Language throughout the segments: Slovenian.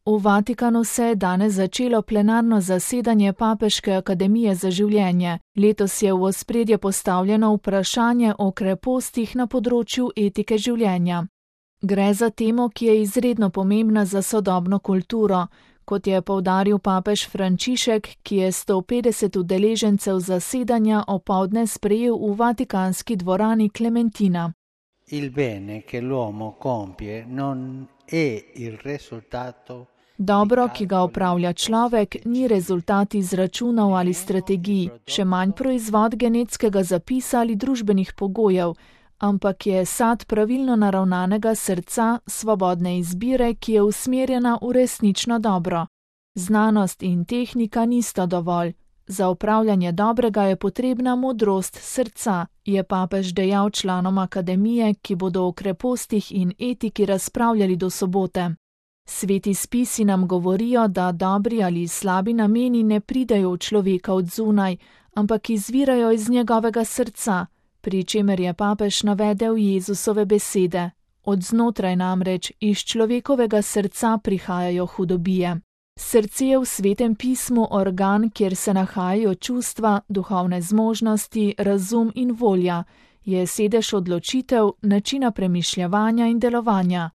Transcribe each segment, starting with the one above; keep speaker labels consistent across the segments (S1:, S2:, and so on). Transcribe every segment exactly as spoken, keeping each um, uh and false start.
S1: V Vatikanu se je danes začelo plenarno zasedanje Papeške akademije za življenje. Letos je v ospredje postavljeno vprašanje o krepostih na področju etike življenja. Gre za temo, ki je izredno pomembna za sodobno kulturo, kot je poudaril papež Frančišek, ki je sto petdeset udeležencev zasedanja opoldne sprejel v vatikanski dvorani Klementina.
S2: Il bene che l'uomo compie non è il risultato.
S1: Dobro, ki ga opravlja človek, ni rezultat izračunov ali strategij, še manj proizvod genetskega zapisa ali družbenih pogojev, ampak je sad pravilno naravnanega srca, svobodne izbire, ki je usmerjena v resnično dobro. Znanost in tehnika nista dovolj. Za upravljanje dobrega je potrebna modrost srca, je papež dejal članom akademije, ki bodo o krepostih in etiki razpravljali do sobote. Sveti spisi nam govorijo, da dobri ali slabi nameni ne pridejo v človeka od zunaj, ampak izvirajo iz njegovega srca, pri čemer je papež navedel Jezusove besede. Od znotraj namreč iz človekovega srca prihajajo hudobije. Srce je v Svetem pismu organ, kjer se nahajajo čustva, duhovne zmožnosti, razum in volja, je sedež odločitev, načina premišljevanja in delovanja.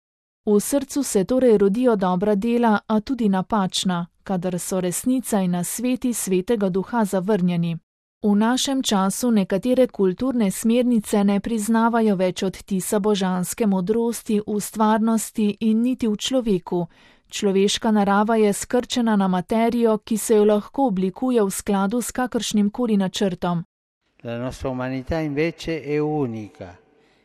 S1: V srcu se torej rodijo dobra dela, a tudi napačna, kadar so resnica in nasveti Svetega Duha zavrnjeni. V našem času nekatere kulturne smernice ne priznavajo več odtisa božanske modrosti v stvarnosti in niti v človeku. Človeška narava je skrčena na materijo, ki se jo lahko oblikuje v skladu s kakršnim koli načrtom.
S2: La nostra umanità invece è unica,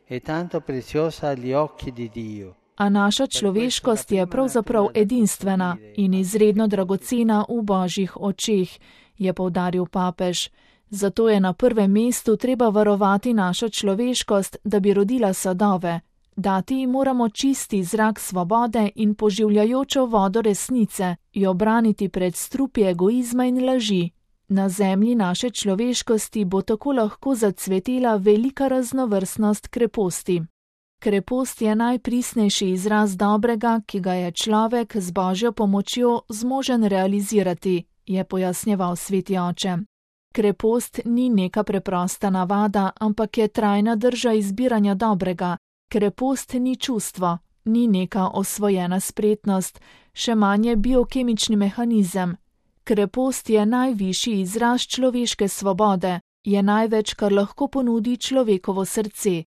S2: è tanto preziosa agli occhi di Dio.
S1: A naša človeškost je pravzaprav edinstvena in izredno dragocena v božjih očeh, je poudaril papež. Zato je na prvem mestu treba varovati našo človeškost, da bi rodila sadove. Dati ji moramo čisti zrak svobode in poživljajočo vodo resnice, jo braniti pred strupi egoizma in laži. Na zemlji naše človeškosti bo tako lahko zacvetela velika raznovrstnost kreposti. Krepost je najpristnejši izraz dobrega, ki ga je človek z božjo pomočjo zmožen realizirati, je pojasnjeval sveti oče. Krepost ni neka preprosta navada, ampak je trajna drža izbiranja dobrega. Krepost ni čustvo, ni neka osvojena spretnost, še manj je biokemični mehanizem. Krepost je najvišji izraz človeške svobode, je največ, kar lahko ponudi človekovo srce.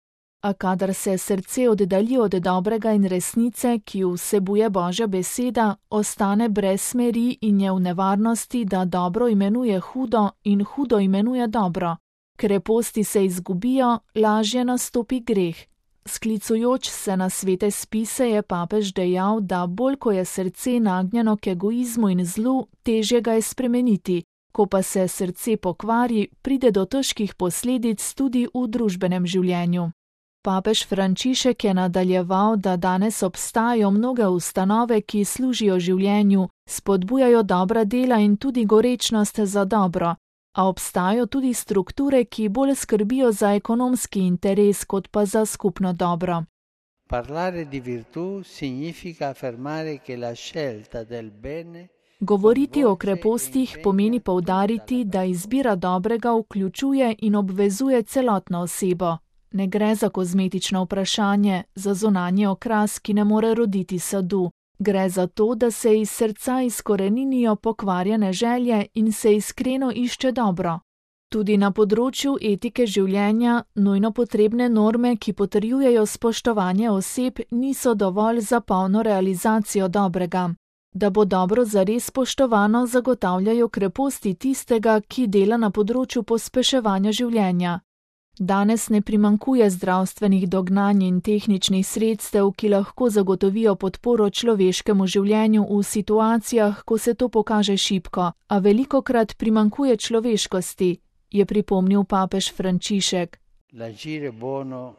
S1: A kadar se srce oddalji od dobrega in resnice, ki jo vsebuje Božja beseda, ostane brez smeri in je v nevarnosti, da dobro imenuje hudo in hudo imenuje dobro. Kreposti se izgubijo, lažje nastopi greh. Sklicujoč se na svete spise je papež dejal, da bolj ko je srce nagnjeno k egoizmu in zlu, težje ga je spremeniti. Ko pa se srce pokvari, pride do težkih posledic tudi v družbenem življenju. Papež Frančišek je nadaljeval, da danes obstajajo mnoge ustanove, ki služijo življenju, spodbujajo dobra dela in tudi gorečnost za dobro, a obstajajo tudi strukture, ki bolj skrbijo za ekonomski interes, kot pa za skupno dobro.
S2: Parlare di virtù significa affermare che la scelta del bene.
S1: Govoriti o krepostih pomeni poudariti, da izbira dobrega vključuje in obvezuje celotno osebo. Ne gre za kozmetično vprašanje, za zunanji okras, ki ne more roditi sadu. Gre za to, da se iz srca izkoreninijo pokvarjene želje in se iskreno išče dobro. Tudi na področju etike življenja nujno potrebne norme, ki potrjujejo spoštovanje oseb, niso dovolj za polno realizacijo dobrega. Da bo dobro zares spoštovano, zagotavljajo kreposti tistega, ki dela na področju pospeševanja življenja. Danes ne primanjkuje zdravstvenih dognanj in tehničnih sredstev, ki lahko zagotovijo podporo človeškemu življenju v situacijah, ko se to pokaže šibko, a velikokrat primanjkuje človeškosti, je pripomnil papež Frančišek.
S2: L'agire buono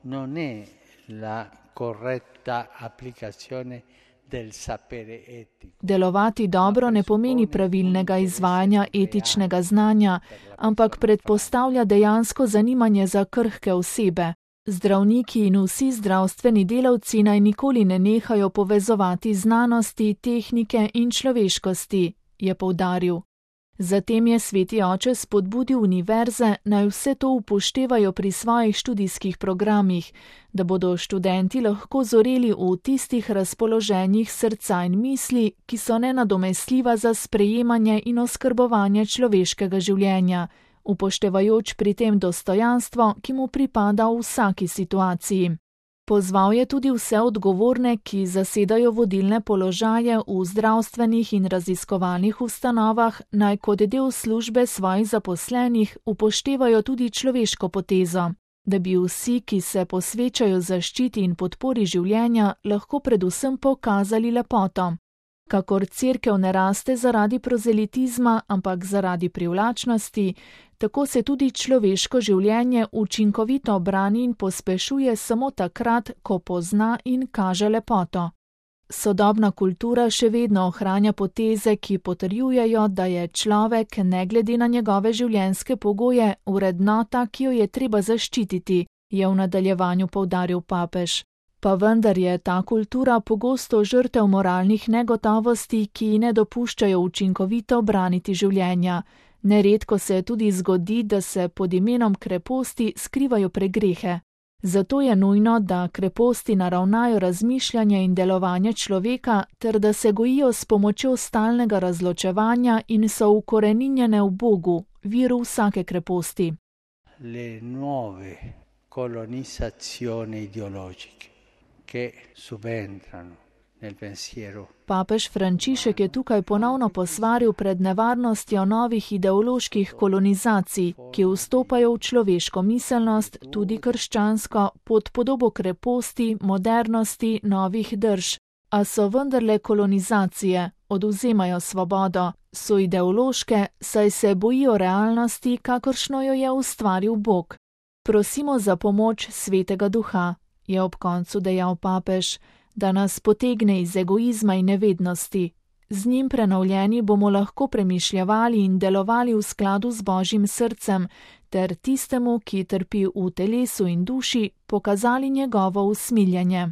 S2: non è la corretta applicazione del sapere etico.
S1: Delovati dobro ne pomeni pravilnega izvajanja etičnega znanja, ampak predpostavlja dejansko zanimanje za krhke osebe. Zdravniki in vsi zdravstveni delavci naj nikoli ne nehajo povezovati znanosti, tehnike in človeškosti, je poudaril. Zatem je sveti oče spodbudil univerze, naj vse to upoštevajo pri svojih študijskih programih, da bodo študenti lahko zoreli v tistih razpoloženjih srca in misli, ki so nenadomestljiva za sprejemanje in oskrbovanje človeškega življenja, upoštevajoč pri tem dostojanstvo, ki mu pripada v vsaki situaciji. Pozval je tudi vse odgovorne, ki zasedajo vodilne položaje v zdravstvenih in raziskovalnih ustanovah, naj kot del službe svojih zaposlenih upoštevajo tudi človeško potezo, da bi vsi, ki se posvečajo zaščiti in podpori življenja, lahko predvsem pokazali lepoto. Kakor cerkev ne raste zaradi prozelitizma, ampak zaradi privlačnosti, tako se tudi človeško življenje učinkovito brani in pospešuje samo takrat, ko pozna in kaže lepoto. Sodobna kultura še vedno ohranja poteze, ki potrjujejo, da je človek, ne glede na njegove življenjske pogoje, vrednota, ki jo je treba zaščititi, je v nadaljevanju poudaril papež. Pa vendar je ta kultura pogosto žrtev moralnih negotovosti, ki ji ne dopuščajo učinkovito braniti življenja. Neredko se tudi zgodi, da se pod imenom kreposti skrivajo pregrehe. Zato je nujno, da kreposti naravnajo razmišljanje in delovanje človeka, ter da se gojijo s pomočjo stalnega razločevanja in so ukoreninjene v Bogu, viru vsake kreposti.
S2: Le nuove colonizzazioni ideologiche che subentrano nel pensiero.
S1: Papež Frančišek je tukaj ponovno posvaril pred nevarnostjo novih ideoloških kolonizacij, ki vstopajo v človeško miselnost, tudi krščansko, pod podobo kreposti, modernosti, novih drž. A so vendarle kolonizacije, odvzemajo svobodo, so ideološke, saj se bojijo realnosti, kakršno jo je ustvaril Bog. Prosimo za pomoč Svetega Duha, je ob koncu dejal papež, da nas potegne iz egoizma in nevednosti. Z njim prenovljeni bomo lahko premišljavali in delovali v skladu z Božjim srcem, ter tistemu, ki trpi v telesu in duši, pokazali njegovo usmiljenje.